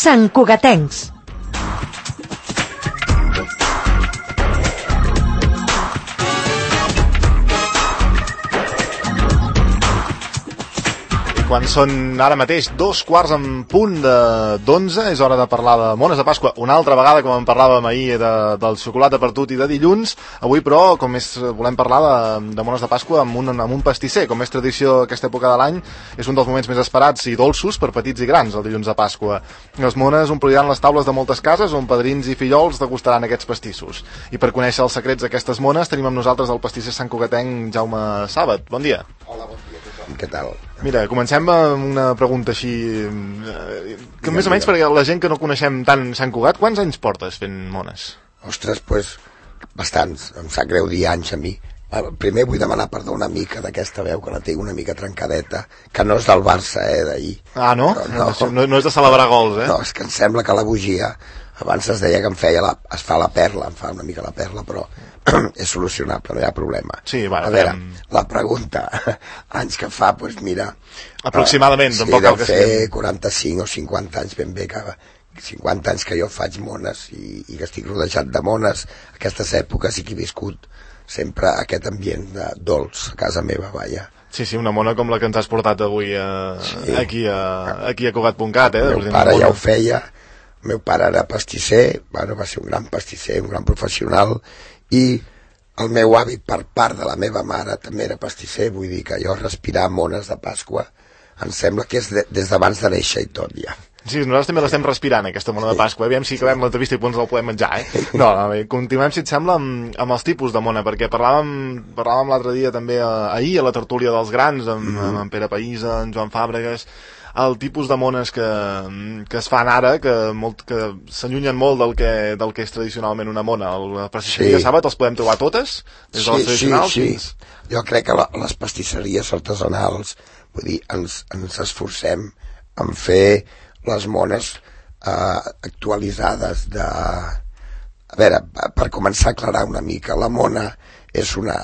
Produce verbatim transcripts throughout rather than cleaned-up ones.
santcugatencs. Quan són ara mateix dos quarts en punt d'onze, és hora de parlar de mones de Pasqua una altra vegada, com en parlàvem ahir de, del xocolata per tot i de dilluns. Avui, però, com és, volem parlar de, de mones de Pasqua amb un, amb un pastisser. Com és tradició aquesta època de l'any, és un dels moments més esperats i dolços per petits i grans, el dilluns de Pasqua. Les mones ompliran les taules de moltes cases on padrins i fillols degustaran aquests pastissos. I per conèixer els secrets d'aquestes mones tenim amb nosaltres el pastisser santcugatenc Jaume Sàbat. Bon dia. Hola, bon dia a tothom. Què tal? Mira, comencem amb una pregunta així, que més o menys perquè la gent que no coneixem tant Sant Cugat, quants anys portes fent mones? Ostres, doncs, bastants, em sap greu dir anys a mi. Primer vull demanar perdó una mica d'aquesta veu, que la tinc una mica trencadeta, que no és del Barça, eh, d'ahir. Ah, no? No, no? No és de celebrar gols, eh? No, és que em sembla que la bugia, abans es deia que em feia la, es fa la perla, em fa una mica la perla, però és solucionable, no hi ha problema. Sí, bueno, a veure, fem... la pregunta, anys que fa, doncs mira... Aproximadament, uh, tampoc sí, cal que sigui. Sí, sigui. fer quaranta-cinc o cinquanta anys ben bé, que cinquanta anys que jo faig mones i, i que estic rodejat de mones, aquestes èpoques i que he viscut sempre aquest ambient de dolç a casa meva, vaja. Sí, sí, una mona com la que ens has portat avui a, sí. aquí, a, aquí a Cugat punt cat, eh? El meu pare ja ho feia, el meu pare era pastisser, bueno, va ser un gran pastisser, un gran professional, i el meu avi per part de la meva mare també era pastisser, vull dir que jo respirar mones de Pasqua em sembla que és de, des d'abans de néixer i tot ja. Sí, nosaltres també l'estem respirant, aquesta mona sí. de Pasqua. Aviam si acabem l'entrevista i ens el podem menjar, eh? No, no, continuem, si et sembla, amb, amb els tipus de mona, perquè parlàvem, parlàvem l'altre dia també, eh, ahir, a la tertúlia dels grans, amb, mm -hmm. amb Pere Païsa, amb Joan Fàbregas, el tipus de mones que, que es fan ara, que, molt, que s'allunyen molt del que, del que és tradicionalment una mona. La pastisseria sí. Sàbat els podem trobar totes? Des de les tradicionals? Sí, sí, sí. Jo crec que la, les pastisseries artesanals, vull dir, ens, ens esforcem en fer les mones eh, actualitzades de... A veure, per començar a aclarar una mica, la mona és una...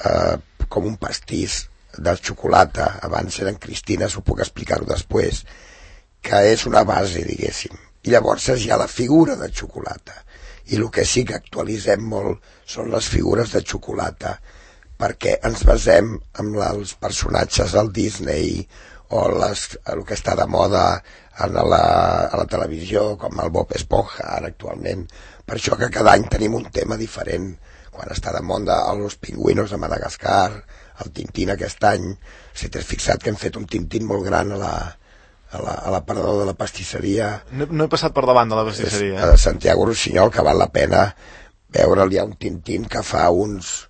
Eh, com un pastís de xocolata, abans eren cristines, ho puc explicar-ho després, que és una base, diguéssim. I llavors hi ha la figura de xocolata. I el que sí que actualitzem molt són les figures de xocolata, perquè ens basem en els personatges del Disney o les, el que està de moda a la, a la televisió, com el Bob Esponja, ara actualment. Per això que cada any tenim un tema diferent. Quan està de moda els pingüinos de Madagascar, el Tintín aquest any, si t'has fixat que hem fet un Tintín molt gran a la, a la, a la parador de la pastisseria. No, no he passat per davant de la pastisseria. A Santiago Rossinyol, que val la pena veure'l. Hi ha un Tintín que fa uns...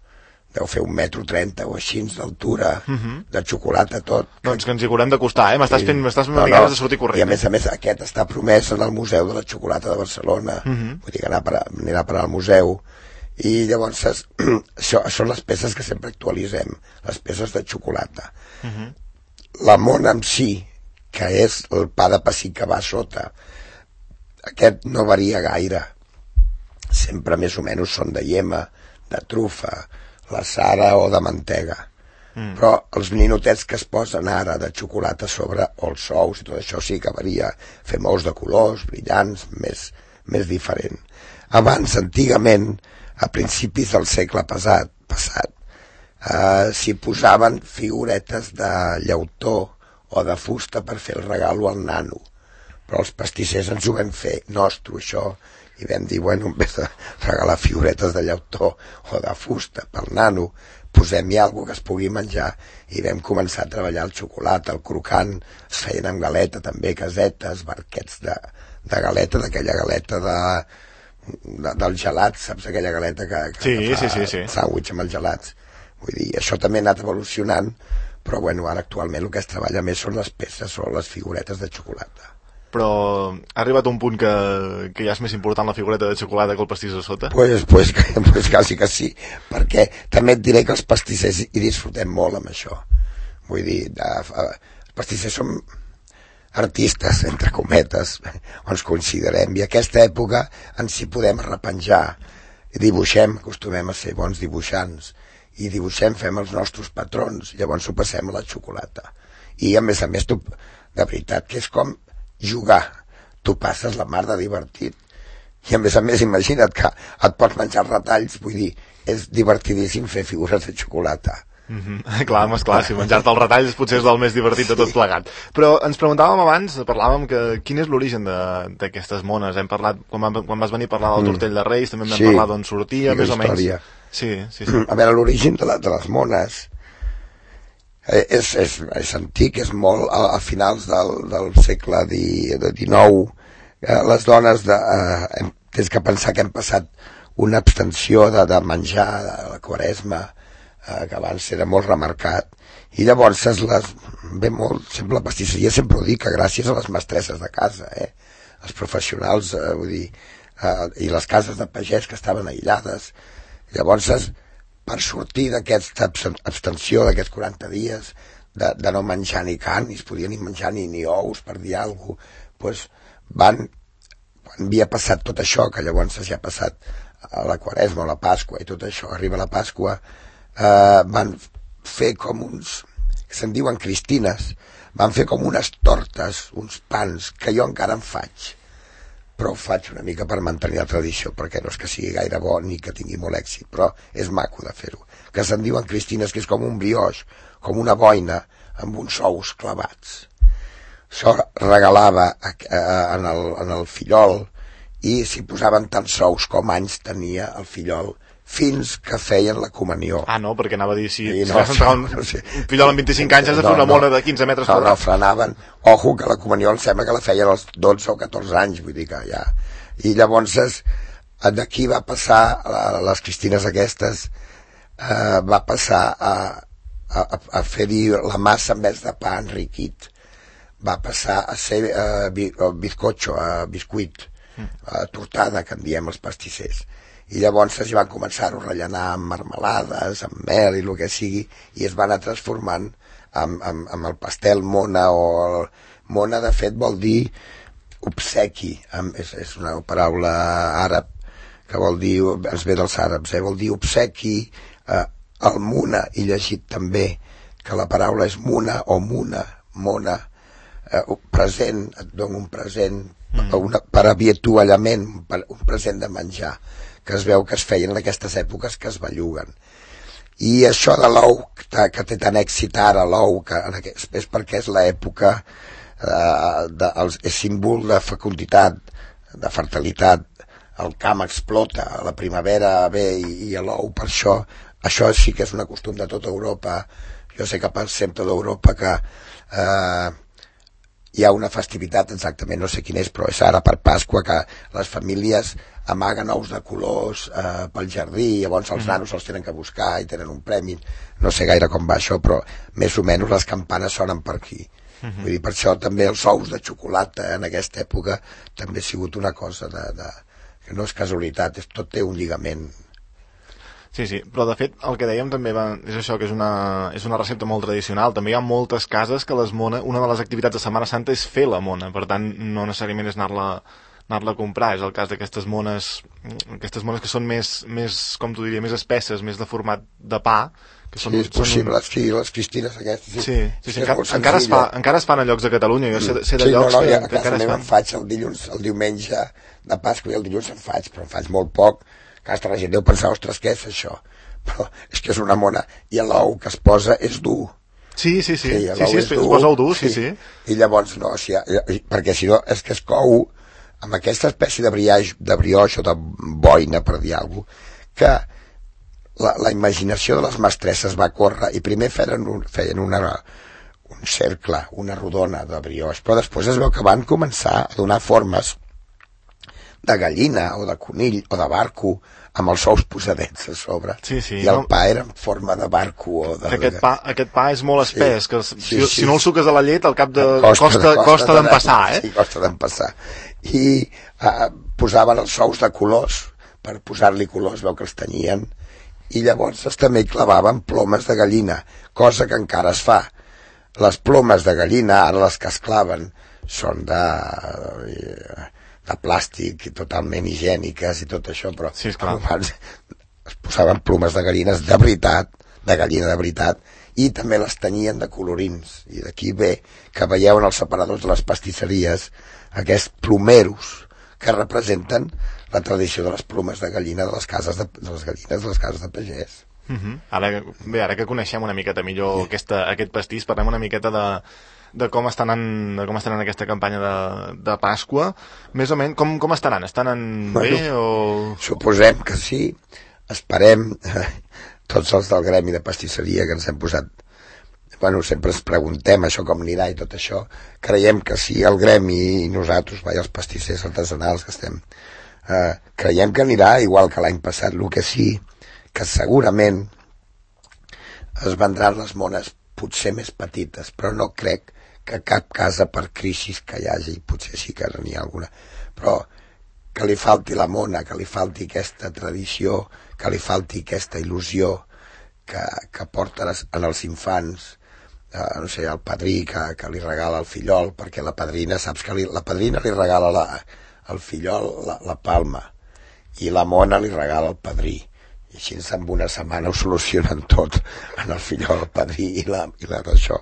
deu fer un metro trenta o així d'altura, uh -huh. de xocolata tot. Doncs que ens hi haurem d'acostar, eh? M'estàs fent, m'estàs fent no, no. de sortir corrent. I a més a més aquest està promès en el Museu de la Xocolata de Barcelona. Uh -huh. Vull dir que anar per, anirà per al museu. I llavors això són les peces que sempre actualitzem, les peces de xocolata. Uh -huh. La mona en si, que és el pa de pessic que va a sota, aquest no varia gaire. Sempre més o menys són de iema, de trufa, la sara o de mantega. Mm. Però els ninotets que es posen ara de xocolata sobre, o els ous i tot això sí que varia. Fem ous de colors, brillants, més, més diferent. Abans, antigament, a principis del segle passat, passat eh, s'hi posaven figuretes de llautó o de fusta per fer el regalo al nano. Però els pastissers ens ho vam fer nostre, això, i vam dir, bueno, en vez de regalar figuretes de llautó o de fusta pel nano, posem-hi alguna que es pugui menjar. I vam començar a treballar el xocolata, el crocant, es feien amb galeta també, casetes, barquets de, de galeta, d'aquella galeta de, de, del gelat, saps, aquella galeta que, que, sí, que fa sí, sí, sí. sàndwich amb els gelats. Vull dir, això també ha anat evolucionant, però bueno, ara actualment el que es treballa més són les peces o les figuretes de xocolata. Però ha arribat un punt que, que ja és més important la figureta de xocolata que el pastís de sota? Pues, pues, pues quasi que sí, perquè també et diré que els pastissers hi disfrutem molt amb això. Vull dir, de, els pastissers som artistes, entre cometes, ens considerem, i aquesta època ens hi podem arrepenjar. Dibuixem, acostumem a ser bons dibuixants, i dibuixem, fem els nostres patrons, llavors ho passem a la xocolata. I a més a més, tu, de veritat, que és com jugar. tu passes la mar de divertit. I a més a més, imagina't que et pots menjar retalls, vull dir, és divertidíssim fer figures de xocolata. Mm-hmm. Clar, home, esclar, si menjar-te els retalls potser és el més divertit de tot plegat. Però ens preguntàvem abans, parlàvem que quin és l'origen d'aquestes mones. Hem parlat, quan, va, quan vas venir a parlar del tortell de Reis, també vam sí, parlar d'on sortia, més o menys. Sí, sí, sí. A veure, l'origen de, la, de les mones eh, és, és, és antic, és molt a, a finals del, del segle dinou. Eh, les dones de, eh, hem, tens que pensar que hem passat una abstenció de, de menjar de la Quaresma, que abans era molt remarcat, i llavors les, ve molt, sempre la pastisseria sempre ho dic, que gràcies a les mestresses de casa, eh? Els professionals, eh, vull dir, eh, i les cases de pagès que estaven aïllades. Llavors, per sortir d'aquesta abstenció d'aquests quaranta dies, de, de no menjar ni carn, ni es podia ni menjar ni, ni ous, per dir alguna cosa, doncs van, quan havia passat tot això, que llavors ja ha passat a la Quaresma, a la Pasqua i tot això, arriba la Pasqua, Uh, van fer com uns, que se'n diuen cristines, van fer com unes tortes, uns pans, que jo encara en faig, però ho faig una mica per mantenir la tradició, perquè no és que sigui gaire bo ni que tingui molt èxit, però és maco de fer-ho, que se'n diuen cristines, que és com un brioix, com una boina, amb uns ous clavats. Això regalava en el, en el fillol, i s'hi posaven tants ous com anys tenia el fillol, fins que feien la comunió. Ah, no, perquè anava a dir, si, si no, vas entrar un, no sé. un fillol amb vint-i-cinc anys has de fer una no, mona de quinze metres no, no, frenaven. Ojo, que la comunió em sembla que la feien als dotze o catorze anys, vull dir que ja... I llavors d'aquí va passar, a les cristines aquestes, eh, va passar a, a, a fer-hi la massa en vez de pa enriquit. Va passar a ser eh, bizcocho, a biscuit, a tortada, que en diem els pastissers. I llavors es van començar a rellenar amb marmelades, amb mel i el que sigui, i es van anar transformant amb, amb, amb el pastel mona, o el, mona de fet vol dir obsequi, amb, és, és una paraula àrab que vol dir, ens ve dels àrabs, eh, vol dir obsequi, eh, el muna, i llegit també que la paraula és muna o muna, mona, eh, present, et dono un present, mm. una, per avituallament, per, un present de menjar, que es veu que es feien en aquestes èpoques que es belluguen. I això de l'ou, que, que té tant èxit ara, l'ou, que aquest, és perquè és l'època, eh, de, el, és símbol de fecunditat, de fertilitat, el camp explota, la primavera ve i, i l'ou, per això, això sí que és un costum de tota Europa. Jo sé que pensem tota Europa que eh, hi ha una festivitat, exactament no sé quina és, però és ara per Pasqua, que les famílies amaguen ous de colors eh, pel jardí, llavors els nanos els tenen que buscar i tenen un premi, no sé gaire com va això, però més o menys les campanes sonen per aquí. Uh-huh. Vull dir, per això també els ous de xocolata en aquesta època també ha sigut una cosa de, de, que no és casualitat, és, tot té un lligament. Sí, sí, però de fet el que dèiem també va, és això, que és una, és una recepta molt tradicional. També hi ha moltes cases que les mona, una de les activitats de Setmana Santa és fer la mona, per tant no necessàriament és anar-la anar-la a comprar, és el cas d'aquestes mones aquestes mones que són més, més com t'ho diria, més espesses, més de format de pa, que són, sí, és possible, un... sí, les cristines aquestes sí, sí, sí, sí encara, encara, es fa, encara es fan a llocs de Catalunya, jo sé, sé de sí, llocs no, no, que, ja, que encara es fan. Em faig el dilluns, el diumenge de Pasqua i el dilluns en faig, però en faig molt poc, que hasta la gent deu pensar, ostres, què és això? Però és que és una mona, i l'ou que es posa és dur. Sí, sí, sí, sí, sí, sí es, es posa dur, sí, sí, sí. I llavors no, o sigui, perquè si no és que es cou amb aquesta espècie de brioix, de brioix o de boina, per dir alguna cosa, que la, la imaginació de les mestresses va córrer i primer feien, un, feien una, un cercle, una rodona de brioix, però després es veu que van començar a donar formes de gallina o de conill o de barco amb els ous posadets a sobre, sí, sí, i el no? pa era en forma de barco o de... Aquest pa, aquest pa és molt espès, sí, que si, sí, sí. si no el suques a la llet al cap de... costa, costa, costa, costa d'empassar, eh? Sí, costa d'empassar. I uh, posaven els ous de colors, per posar-li colors, veu que els tenyien, i llavors també hi clavaven plomes de gallina, cosa que encara es fa. Les plomes de gallina, ara les que es claven, són de... de plàstic i totalment higièniques i tot això, però sí, abans es posaven plomes de gallines de veritat, de gallina de veritat, i també les tenyien de colorins, i d'aquí ve que veieu en els separadors de les pastisseries aquests plomeros que representen la tradició de les plomes de gallina de les cases de, de les gallines de les cases de pagès. Uh -huh. Ara, bé, ara que coneixem una miqueta millor sí. aquesta, aquest pastís, parlem una miqueta de, de com estan en, de com estan en aquesta campanya de, de Pasqua. Més o menys, com, com estaran? Estan en bueno, bé o...? Suposem que sí. Esperem, eh, tots els del gremi de pastisseria que ens hem posat, bueno, sempre ens preguntem això com anirà i tot això, creiem que sí, el gremi i nosaltres, vai, els pastissers artesanals que estem, eh, creiem que anirà igual que l'any passat. El que sí que segurament es vendran les mones potser més petites, però no crec que cap casa per crisis que hi hagi, potser sí que n'hi ha alguna, però que li falti la mona, que li falti aquesta tradició, que li falti aquesta il·lusió que, que porten en els infants, eh, no sé, el padrí que, que li regala el fillol, perquè la padrina, saps que li, la padrina li regala la, el fillol la, la palma, i la mona li regala el padrí, i així en una setmana ho solucionen tot en el fillol, el padrí i la, i la d'això.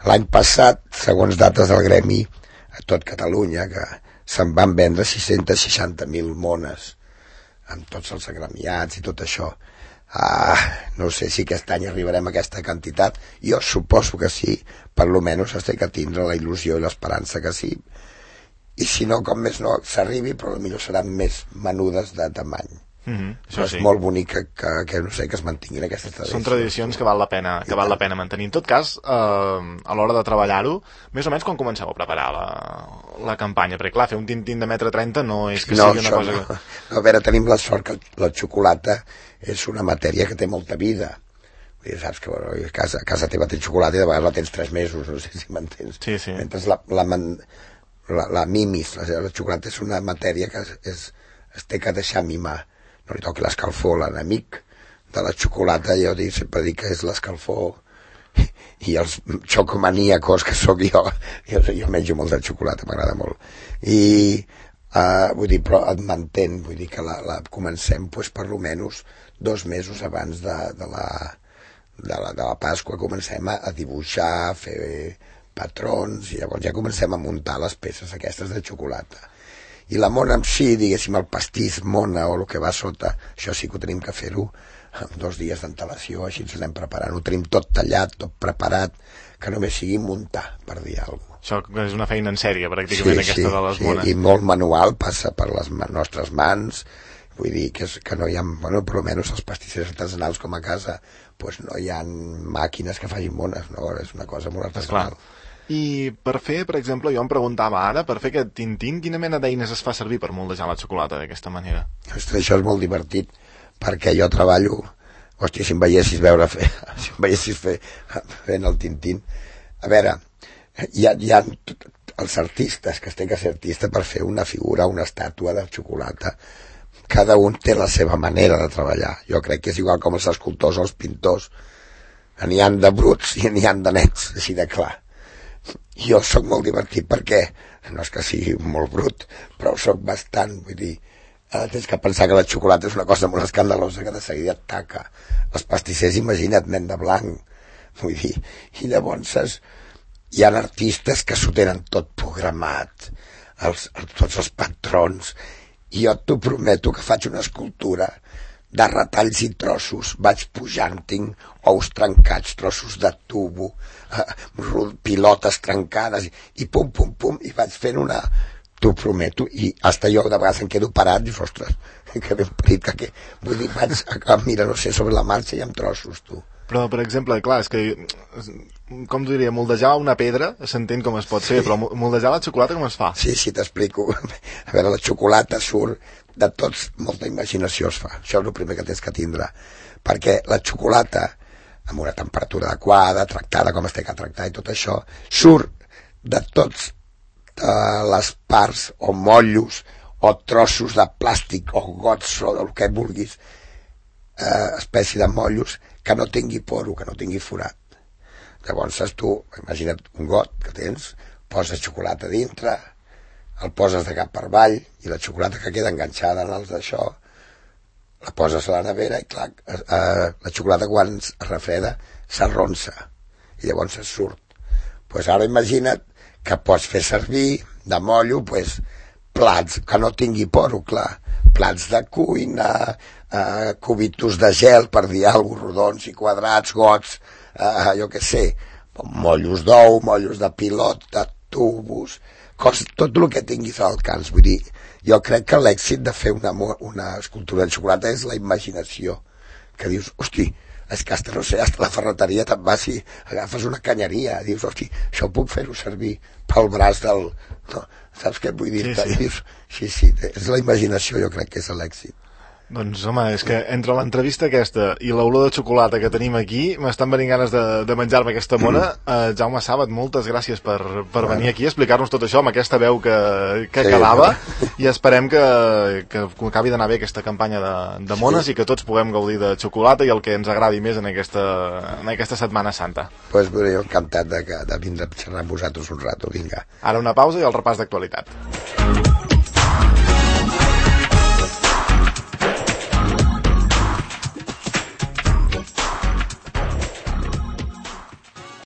L'any passat, segons dates del gremi, a tot Catalunya, que se'n van vendre sis-centes seixanta mil mones, amb tots els agremiats i tot això. Ah, no sé si aquest any arribarem a aquesta quantitat. Jo suposo que sí, per lo menys has de que tindre la il·lusió i l'esperança que sí. I si no, com més no, s'arribi, però potser seran més menudes de tamany. Mm-hmm, però és sí. molt bonic que, que, que, no sé, que es mantinguin aquestes tradicions. Són tradicions que val la pena, que val la pena mantenir. En tot cas, eh, a l'hora de treballar-ho, més o menys quan comenceu a preparar la, la campanya? Perquè clar, fer un tintín de metre trenta no és que no, sigui una cosa... No. Que... no, a veure, tenim la sort que la xocolata és una matèria que té molta vida. Vull dir, saps que bueno, a, casa, a casa teva tens xocolata i de vegades la tens tres mesos, no sé si m'entens. Sí, sí. Mentre la, la, la, la mimis, la, la xocolata és una matèria que es, és, es té que deixar mimar. No li toqui l'escalfor, l'enemic de la xocolata, jo dic, sempre dic que és l'escalfor i els xocomaníacos que sóc jo, jo, jo menjo molt de xocolata, m'agrada molt. I, uh, vull dir, però et mantén, vull dir que la, la comencem, pues, per lo menys dos mesos abans de, de, la, de, la, de la Pasqua, comencem a, a dibuixar, a fer patrons, i llavors ja comencem a muntar les peces aquestes de xocolata. I la mona en si, diguéssim, el pastís mona o el que va sota, això sí que ho tenim que fer-ho amb dos dies d'antelació, així ens anem preparant. Ho tenim tot tallat, tot preparat, que només sigui muntar, per dir alguna cosa. Això és una feina en sèrie, pràcticament, sí, aquesta sí, de les sí, mones. I molt manual, passa per les nostres mans, vull dir que, és, que no hi ha, bueno, per almenys els pastissers artesanals com a casa, pues no hi ha màquines que facin mones, no? És una cosa molt artesanal. I per fer, per exemple, jo em preguntava ara, per fer aquest tintín, quina mena d'eines es fa servir per moldejar la xocolata d'aquesta manera? Ostres, això és molt divertit, perquè jo treballo, hòstia, si em veiessis veure fer, si em veiessis fer, fent el tintín. A veure, hi ha, hi ha els artistes, que es té que ser artista per fer una figura, una estàtua de xocolata. Cada un té la seva manera de treballar. Jo crec que és igual com els escultors o els pintors. N'hi ha de bruts i n'hi ha de nets, així de clar. Jo sóc molt divertit perquè, no és que sigui molt brut, però sóc bastant, vull dir, eh, tens que pensar que la xocolata és una cosa molt escandalosa que de seguida et taca. Els pastissers, imagina't, nen de blanc, vull dir, i llavors és, hi ha artistes que s'ho tenen tot programat, els, els, tots els patrons, i jo t'ho prometo que faig una escultura de retalls i trossos, vaig pujant, tinc ous trencats, trossos de tubo, eh, pilotes trencades, i pum, pum, pum, i vaig fent una... T'ho prometo, i hasta jo de vegades em quedo parat, i dius, ostres, que ben parit, que, que... Vull dir, vaig, a, mira, no sé, sobre la marxa i amb trossos, tu. Però, per exemple, clar, és que, com t'ho diria, moldejar una pedra s'entén com es pot fer, sí. Però moldejar la xocolata com es fa? Sí, sí, t'explico. A veure, la xocolata surt de tots, molta imaginació es fa. Això és el primer que tens que tindre. Perquè la xocolata, amb una temperatura adequada, tractada com es té que tractar i tot això, surt de tots de les parts o motllos o trossos de plàstic o gots o del que vulguis, eh, espècie de motllos, que no tingui poro, que no tingui forat. Llavors tu, imagina't un got que tens, poses xocolata dintre, el poses de cap per avall, i la xocolata que queda enganxada en els d'això la poses a la nevera i clar, eh, la xocolata quan es refreda s'arronsa i llavors es surt. Pues ara imagina't que pots fer servir de mollo pues, plats que no tingui poro, clar, plats de cuina, eh, cubitos de gel, per dir alguna cosa, rodons i quadrats, gots, eh, jo què sé, mollos d'ou, mollos de pilot, de tubos, cos, tot el que tinguis al alcance. Vull dir, jo crec que l'èxit de fer una, una escultura de xocolata és la imaginació, que dius, hosti, és que hasta, no sé, hasta la ferreteria te'n vas i agafes una canyeria, dius, hosti, això puc fer-ho servir pel braç del... No, saps què vull dir? Sí, sí. Dius, sí, sí, és la imaginació, jo crec que és l'èxit. Doncs, home, és que entre l'entrevista aquesta i l'olor de xocolata que tenim aquí, m'estan venint ganes de, de menjar-me aquesta mona. Mm. Uh, Jaume Sàbat, moltes gràcies per, per bueno. venir aquí a explicar-nos tot això amb aquesta veu que, que sí, quedava, no? I esperem que, que acabi d'anar bé aquesta campanya de, de mones sí. i que tots puguem gaudir de xocolata i el que ens agradi més en aquesta, en aquesta Setmana Santa. Doncs pues, jo encantat de, de vindre a xerrar amb vosaltres un rato, vinga. Ara una pausa i el repàs d'actualitat.